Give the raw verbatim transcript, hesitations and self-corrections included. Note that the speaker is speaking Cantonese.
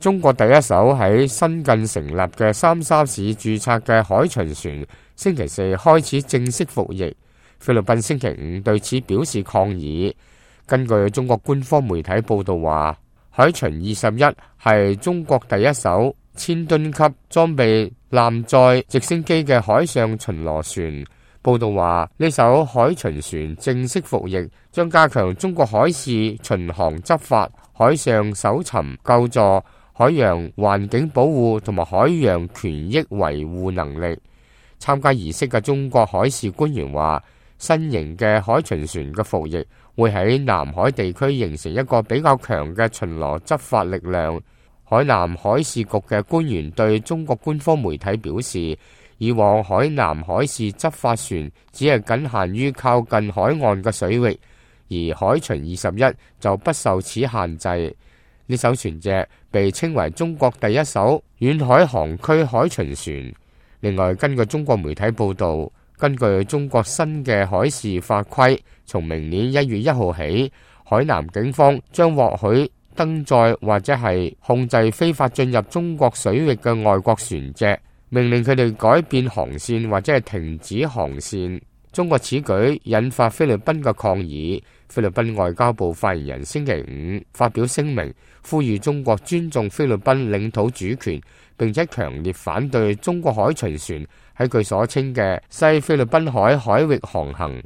中國第一艘喺新近成立嘅三沙市註冊嘅海巡船星期四開始正式服役。菲律賓星期五對此表示抗議。根據中國官方媒體報道話，海巡二十一係中國第一艘千噸級裝備艦載直升機嘅海上巡邏船。報道話，呢艘海巡船正式服役，將加強中國海事巡航執法、海上搜尋救助、海洋環境保護同埋海洋權益維護能力。參加儀式嘅中國海事官員話，新型嘅海巡船嘅服役會喺南海地區形成一個比較強嘅巡邏執法力量。海南海事局嘅官員對中國官方媒體表示，以往海南海事執法船只係僅限於靠近海岸嘅水域，而海巡二十一就不受此限制。呢艘船隻被稱為中國第一艘遠海航區海巡船。另外，根據中國媒體報道，根據中國新嘅海事法規，從明年一月一號起，海南警方將獲許登載或者係控制非法進入中國水域嘅外國船隻，命令佢哋改變航線或者係停止航線。中國此舉引發菲律賓嘅抗議。菲律賓外交部發言人星期五發表聲明，呼籲中國尊重菲律賓領土主權，並且強烈反對中國海巡船喺佢所稱嘅西菲律賓海海域航行。